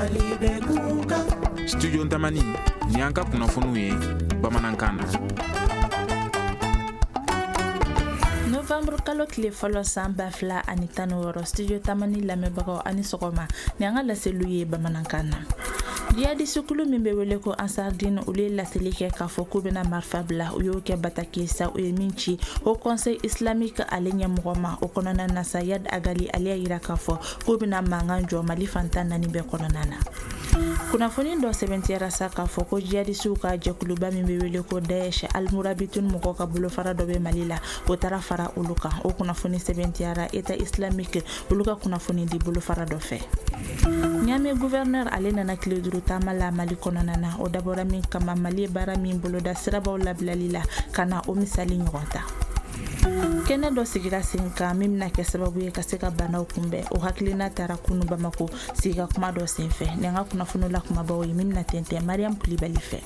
Mali bɛ kunkan. Studio Tamani, ni an ka kunnafoniw ye bamanankan na. Novembre kalo tile fɔlɔ san 2016, Studio Tamani lamɛnbagaw, ani sɔgɔma. Ni an ka laseliw ye bamanankan na. Jihadiste kulu min bɛ wele ko Ansardine, olu ye laseli kɛ k'a fɔ k'u bɛna marifa bila. U y'o kɛ bataki sa, u ye min ci Haut Conseil islamique ale ɲɛmɔgɔ ma. O kɔnɔna na sa, Iyad Ag Ghali ale y'a yira k'a fɔ k'u bɛna mankan jɔ Mali fan 14 bɛɛ kɔnɔna na. Kunnafoni dɔ sɛbɛntiyara sa k'a fɔ ko jihadisiw ka jɛkuluba min bɛ wele ko Daesh, Almurabitun mɔgɔw ka bolofara dɔ bɛ Mali la, o taara fara olu kan. O kunnafoni sɛbɛntiyara État islamique olu ka kunnafoni di bolofara dɔ fɛ. Niamey gouverneur ale nana tile 5 taama la Mali kɔnɔna na. O dabɔra min kama, Mali ye baara min boloda sirabaw labilali la, ka na o misali ɲɔgɔn ta. Kɛnɛ dɔ sigira sen kan min bɛna kɛ sababu ye ka se ka banaw kunbɛn. O hakilina taara kunu Bamako sigi ka kuma dɔ senfɛ. Ni an ka kunnafoniw la kumabaw ye min bɛna tɛntɛn Mariam Kulibali fɛ.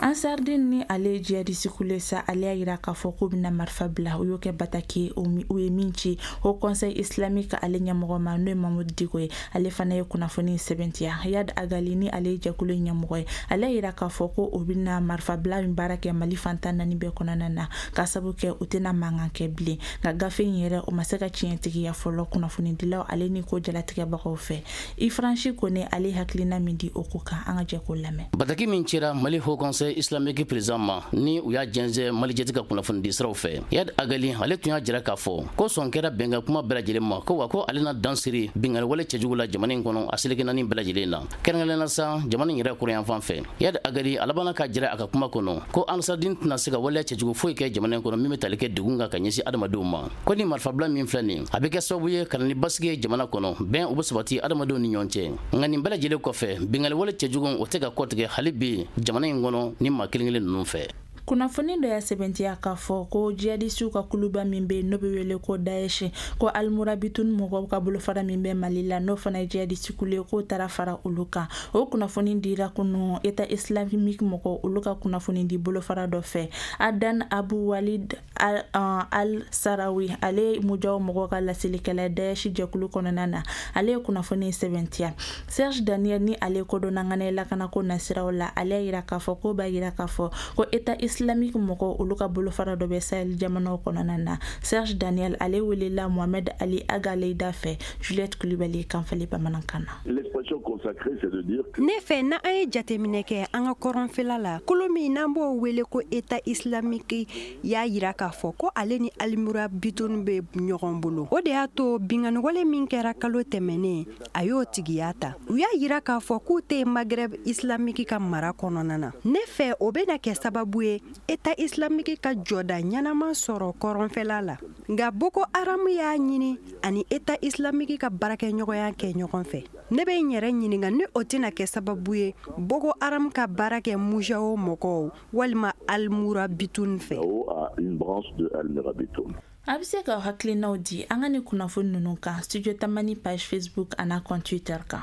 Ansardine ni ale ye jihadiste kulu sa, ale y'a yira k'a fɔ k'u bɛna marifa bila. U y'o kɛ bataki ye, u ye min ci Haut Conseil islamique ale ɲɛmɔgɔ ma, n'o ye Mamudu Diko ye. Ale fana ye kunnafoni sɛbɛntiya. Iyad Ag Ghali ni ale ye jɛkulu ɲɛmɔgɔ ye, ale y'a yira k'a fɔ ko o bɛna marifa bila min baara kɛ Mali fan 14 bɛɛ kɔnɔna na, k'a sabu kɛ u tɛna mankan kɛ bilen. Nka gafe in yɛrɛ, o ma se ka tiɲɛtigiya fɔlɔ kunnafonidilaw ale ni ko jalatigɛbagaw fɛ. Ifransi Kone ale hakilina min di o ko kan, an ka jɛ k'o lamɛn. Bataki min cira Mali Haut Conseil islamique président ma, ni u y'a jɛnsɛn Mali jɛti ka kunnafoni di siraw fɛ, Iyad Ag Ghali ale tun y'a jira k'a fɔ ko sɔn kɛra bɛnkan kuma bɛɛ lajɛlen ma, ko wa ko ale na dan siri binkanni wale cɛjugu la jamana in kɔnɔ a seleke naani bɛɛ lajɛlen na, kɛrɛnkɛrɛnnenya la sa jamana in yɛrɛ kɔrɔnyanfan fɛ. Iyad Ag Ghali a labanna k'a jira a ka kuma kɔnɔ ko Ansardine tɛna se ka waleya cɛjugu foyi kɛ jamana in kɔnɔ min bɛ tali kɛ degun kan ka ɲɛsin adamadenw ma. Ko ni marifabila min filɛ nin, a bɛ kɛ sababu ye ka na ni basigi ye jamana kɔnɔ, bɛn o bɛ sabati adamadenw ni ɲɔgɔn cɛ. Nka nin bɛɛ lajɛlen kɔfɛ, binkanni wale cɛjugu o tɛ ka kɔtigɛ hali bi jamana in kɔnɔ ni maa kelen kelen ninnu fɛ. Kunnafoni dɔ y'a sɛbɛntiya k'a fɔ ko jihadisiw ka kuluba min bɛ yen, n'o bɛ wele ko Daesh, ko Almurabitun mɔgɔw ka bolofara min bɛ Mali la, n'o fana ye jihadisi kulu ye, k'o taara fara olu kan. O kunnafoni dira kunu État islamique mɔgɔw olu ka kunnafoni di bolofara dɔ fɛ. Adan Abu Walid Al Sarawi, ale Mujaw mɔgɔw ka laselikɛla Daesh jɛkulu kɔnɔna na, ale ye kunnafoni sɛbɛntiya. Serge Daniel ni ale kodɔnna ŋana lakanako nasiraw la, ale y'a yira k'a fɔ ko b'a yira k'a fɔ ko État islamique mɔgɔw olu ka bolofara dɔ bɛ Sahel jamanaw kɔnɔna na. Serge Daniel ale welela Mohamed Ali Agaleida fɛ. Juliette Kulibali kan fali bamanankan na. L'expression consacrée, c'est de dire que Ne fɛ, na an ye jateminɛ kɛ an ka kɔrɔnfɛla la, kolo min n'an b'o wele ko État islamique y'a yira k'a fɔ ko ale ni Almurabitun bɛ ɲɔgɔn bolo. O de y'a to binkanniwale min kɛra kalo tɛmɛnen, a y'o tigiya ta. U y'a yira k'a fɔ k'u tɛ Maghreb islamique ka mara kɔnɔna na. Ne fɛ, o bɛna kɛ sababu ye État islamique ka jɔda ɲɛnama sɔrɔ kɔrɔnfɛla la. Nka Boko Haram y'a ɲini ani État islamique ka baarakɛɲɔgɔnya kɛ ɲɔgɔn fɛ. Ne bɛ n yɛrɛ ɲininka ni o tɛna kɛ sababu ye Boko Haram ka baara kɛ Mujawo mɔgɔw walima Almurabitun fɛ. À une branche de Al-Murabitoun. A bɛ se ka hakilinaw di an ka ni kunnafoni ninnu kan Studio Tamani page Facebook an'a compte Twitter kan.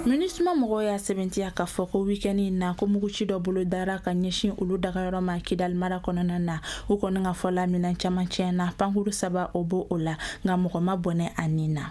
MINUSMA mɔgɔw y'a sɛbɛntiya k'a fɔ ko week-end in na, ko muguci dɔ bolo dara ka ɲɛsin olu dagayɔrɔ ma Kidal mara kɔnɔna na. U kɔni ka fɔ la, minɛn caman tiɲɛna, pankuru saba o b'o o la, nka mɔgɔ ma bɔnɛ a nin na.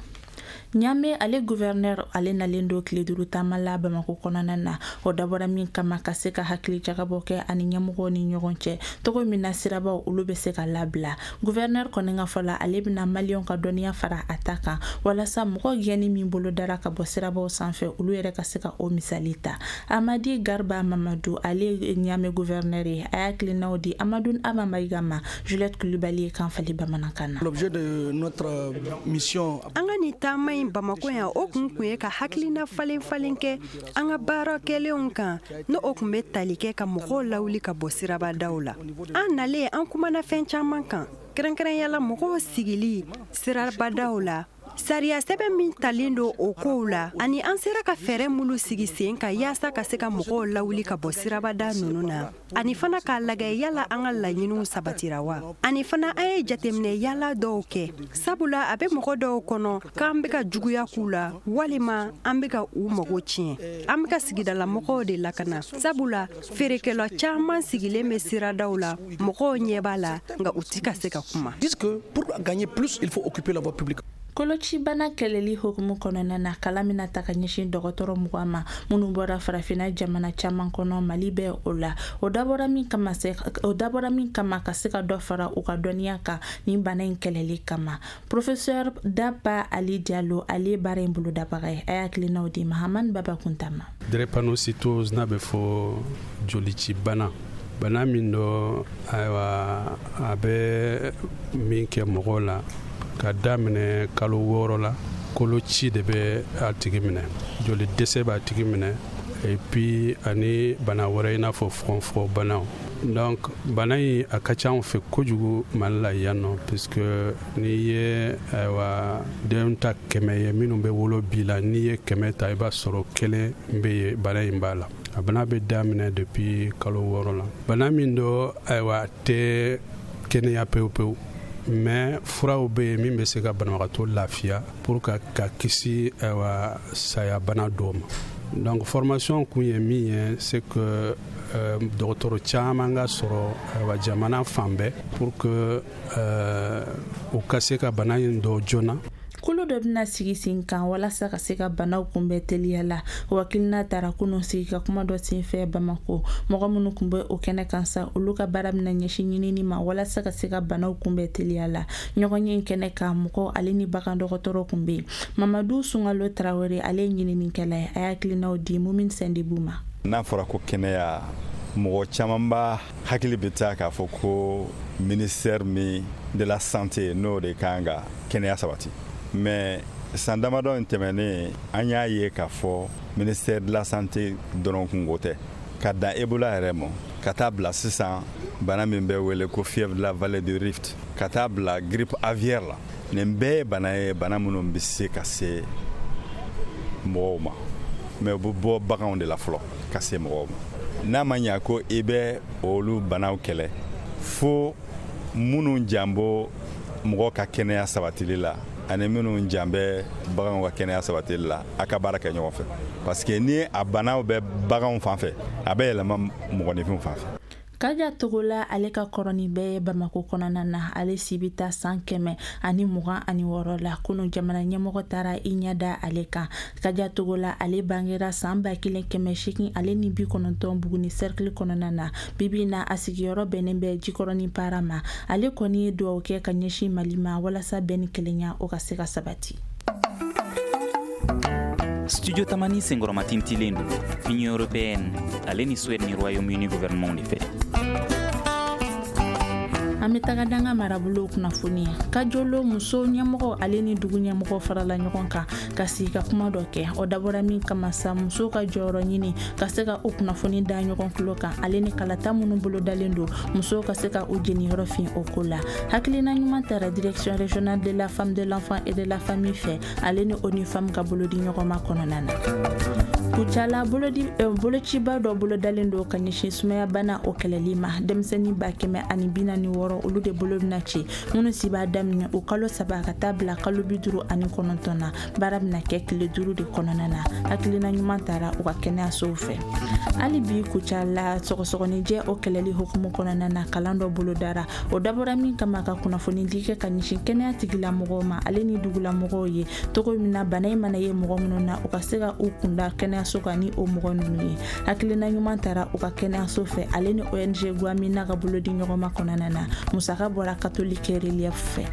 Niamey ale gouverneur ale nalen don tile 5 taama la Bamako kɔnɔna na. O dabɔra min kama, ka se ka hakili jagabɔ kɛ ani ɲɛmɔgɔw ni ɲɔgɔn cɛ togo min na sirabaw olu bɛ se ka labila. Gouverneur kɔni ka fɔ la, ale bɛna maliyɛnw ka dɔnniya fara a ta kan walasa mɔgɔ gɛnni min bolo dara ka bɔ sirabaw sanfɛ, olu yɛrɛ ka se ka o misali ta. Amadi Garba Mamadu, ale ye Niamey gouverneur ye, a y'a hakilinaw di Amadu Aba Mayiga ma Juliette Kulibali ye kan fali bamanankan na. L'objet de notre mission An ka nin taama in Bamako yan, o kun ye ka hakilina falen falen kɛ an ka baara kɛlenw kan, n'o o kun bɛ tali kɛ ka mɔgɔw lawuli ka bɔ sirabadaw la. An nalen, an kumana fɛn caman kan, kɛrɛnkɛrɛnyala mɔgɔw sigili sirabadaw la, sariya sɛbɛn min talen don o kow la, ani an sera ka fɛɛrɛ minnu sigi sen kan yaasa ka se ka mɔgɔw lawuli ka bɔ sirabada ninnu na, ani fana k'a lagɛ yala an ka laɲiniw sabatira wa. Ani fana an ye jateminɛ yala dɔw kɛ, sabula a bɛ mɔgɔ dɔw kɔnɔ k'an bɛ ka juguya k'u la walima an bɛ ka u mago tiɲɛ. An bɛ ka sigidala mɔgɔw de lakana, sabula feerekɛla caman sigilen bɛ siradaw la, mɔgɔw ɲɛ b'a la, nka u ti ka se ka kuma. Disent que pour gagner plus, il faut occuper la voie publique. Kolo. Kolocibana kɛlɛli hukumu kɔnɔna na, kalan bɛna ta ka ɲɛsin dɔgɔtɔrɔ 20 ma minnu bɔra farafinna jamana caman kɔnɔ, Mali bɛ o la. O dabɔra min kama se o dabɔra min kama ka se ka dɔ fara u ka dɔnniya kan nin bana in kɛlɛli kama. Professeur Daba Ali Diallo, ale ye baara in bolodabaga ye. A y'a hakilinaw di Mahamani Baba Kunta ma. Drépanocytose, n'a bɛ fɔ jolici bana, bana min dɔ, ayiwa, a bɛ min kɛ mɔgɔw la ka daminɛ kalo 6 la, koloci de bɛ a tigi minɛ, joli dɛsɛ b'a tigi minɛ, et puis ani bana wɛrɛ i n'a fɔ fogonfogon banaw. Donc bana in a ka ca anw fɛ kojugu Mali la yan nɔ, puisque n'i ye, ayiwa, den ta 100 ye minnu bɛ wolo bi la, n'i ye 100 ta, i b'a sɔrɔ kelen bɛ yen bana in b'a la. A bana bɛ daminɛ depuis kalo 6 la. Bana min do, ayiwa, a tɛ kɛnɛya pewu pewu, mais furaw bɛ yen min bɛ se ka banabagatɔ lafiya pour ka kisi, ayiwa, saya bana dɔw ma. Donc formation kun ye min ye, c'est que dɔgɔtɔrɔ caman ka sɔrɔ, ayiwa, jamana fan bɛɛ, pour que u ka se ka bana in dɔn joona. Kulu dɔ bɛna sigi sen kan walasa ka se ka banaw kunbɛn teliya la. O hakilina tara kunun sigi ka kuma dɔ senfɛ Bamako. Mɔgɔ minnu tun bɛ o kɛnɛ kan sa, olu ka baara bɛna ɲɛsin ɲinini ma walasa ka se ka banaw kunbɛn teliya la. Ɲɔgɔn ye kɛnɛ kan, mɔgɔ ale ni bagan dɔgɔtɔrɔ tun bɛ yen. Mamadu Sunkalo Tarawele, ale ye ɲininikɛla ye. A y'a hakilinaw di Mumin Sɛndibu ma. N'a fɔra ko kɛnɛya, mɔgɔ caman b'a hakili bɛ taa k'a fɔ ko ministère min de la Santé, n'o de kan ka kɛnɛya sabati. Mais san damadɔ in tɛmɛnen, an y'a ye k'a fɔ ministère de la Santé dɔrɔn kungo tɛ. Ka dan Ebola yɛrɛ ma, ka taa bila sisan bana min bɛ wele ko fièvre de la vallée du Rift, ka taa bila grippe aviaire la, nin bɛɛ ye bana ye, bana minnu bɛ se ka se mɔgɔw ma, mais u bɛ bɔ baganw de la fɔlɔ ka se mɔgɔw ma. N'a ma ɲa ko i bɛ olu banaw kɛlɛ, fo minnu jan bɔ mɔgɔ ka kɛnɛya sabatili la ani minnu jan bɛ baganw ka kɛnɛya sabatili la, a ka baara kɛ ɲɔgɔn fɛ, parce que ni a banaw bɛ baganw fan fɛ, a bɛ yɛlɛma mɔgɔninfinw fan fɛ. Kaja Togola, ale ka kɔrɔ ni bɛɛ ye Bamako kɔnɔna na. Ale si bɛ taa san 126 la. Kunu, jamana ɲɛmɔgɔ taara i ɲɛ da ale kan. Kaja Togola, ale bangera san 1890 Buguni cercle kɔnɔna na. Bibi na, a sigiyɔrɔ bɛnnen bɛ Jikɔrɔni Para ma. Ale kɔni ye dugawu kɛ ka ɲɛsin Mali ma walasa bɛn ni kelenya o ka se ka sabati. Studio Tamani senkɔrɔma tintilen don Union européenne ale ni Suède ni Royaume-Uni gouvernement de fɛ. An bɛ taga danga marabolo kunnafoni ye. Kajolo muso ɲɛmɔgɔ ale ni dugu ɲɛmɔgɔ farala ɲɔgɔn kan ka sigi ka kuma dɔ kɛ. O dabɔra min kama sa, muso ka jɔyɔrɔ ɲini ka se ka o kunnafoni da ɲɔgɔn tulo kan, ale ni kalata minnu bolodalen don, musow ka se ka u jeniyɔrɔ fin o ko la. Hakilina ɲuman tara Direction régionale de la Femme, de l'Enfant et de la Famille fɛ, ale ni ONU Femmes ka bolodi ɲɔgɔnma kɔnɔna na. Kucala, bolociba dɔ bolodalen don ka ɲɛsin sumayabana o kɛlɛli ma. Denmisɛnnin 146, olu de bolo bɛna ci, minnu si b'a daminɛ o kalo 3 ka taa bila kalo 59 na. Baara bɛna kɛ tile 5 de kɔnɔna na. Hakilina ɲuman taara u ka kɛnɛyasow fɛ. Hali bi Kucala, sɔgɔsɔgɔnijɛ o kɛlɛli hukumu kɔnɔna na, kalan dɔ bolodara. O dabɔra min kama, ka kunnafoni di kɛ ka ɲɛsin kɛnɛya tigilamɔgɔw ma, ale ni dugulamɔgɔw ye, togo min na bana in mana ye mɔgɔ minnu na, u ka se ka u kunda kɛnɛyaso kan ni o mɔgɔ ninnu ye. Hakilina ɲuman taara u ka kɛnɛyaso fɛ, ale ni ONG Guamina ka bolodi ɲɔgɔnma kɔnɔna na. Musaka bɔra Catholique Relief fɛ.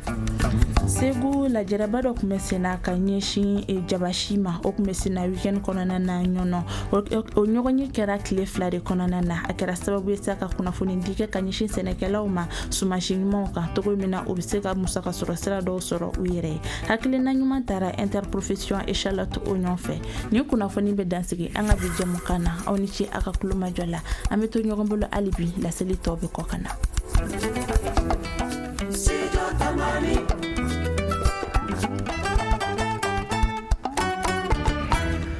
Segu, lajɛrɛba dɔ tun bɛ senna ka ɲɛsin jabasi ma. O tun bɛ senna weekend kɔnɔna na Ɲɔnɔ. O ɲɔgɔnye kɛra tile 2 de kɔnɔna na. A kɛra sababu ye sa ka kunnafoni di kɛ ka ɲɛsin sɛnɛkɛlaw ma sumasi ɲumanw kan, togo min na u bɛ se ka musaka sɔrɔ sira dɔw sɔrɔ u yɛrɛ ye. Hakilina ɲuman taara Interprofession Échalote o ɲɔgɔn fɛ. Nin kunnafoni bɛ dansigi an ka bi jɛmukan na. Aw ni ce a ka kulomajɔ la. An bɛ to ɲɔgɔn bolo hali bi, laseli tɔw bɛ kɔ ka na.